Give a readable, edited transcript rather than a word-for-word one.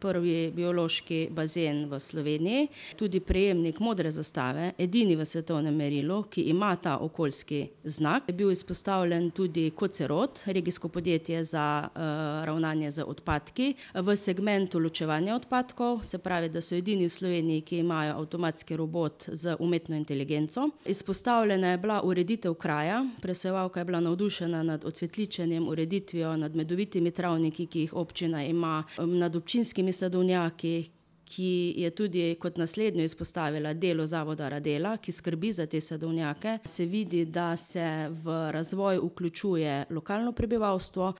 prvi biološki bazen v Sloveniji, tudi prejemnik modre zastave, edini v svetovnem merilu, ki ima ta okoljski znak. Je bil izpostavljen tudi Kocerod, regijsko podjetje za ravnanje z odpadki, v segmentu ločevanja odpadkov, se pravi, da so edini v Sloveniji, ki imajo avtomatski robot z umetno inteligenco. Izpostavljena je bila ureditev kraja, presojevalka je bila navdušena nad ocvetličenjem, ureditvijo, nad medovitimi travniki, ki jih občina ima, nad občinskimi sadovnjaki, ki je tudi kot naslednjo izpostavila delo zavoda Radela, ki skrbi za te sadovnjake. Se vidi, da se v razvoj vključuje lokalno prebivalstvo.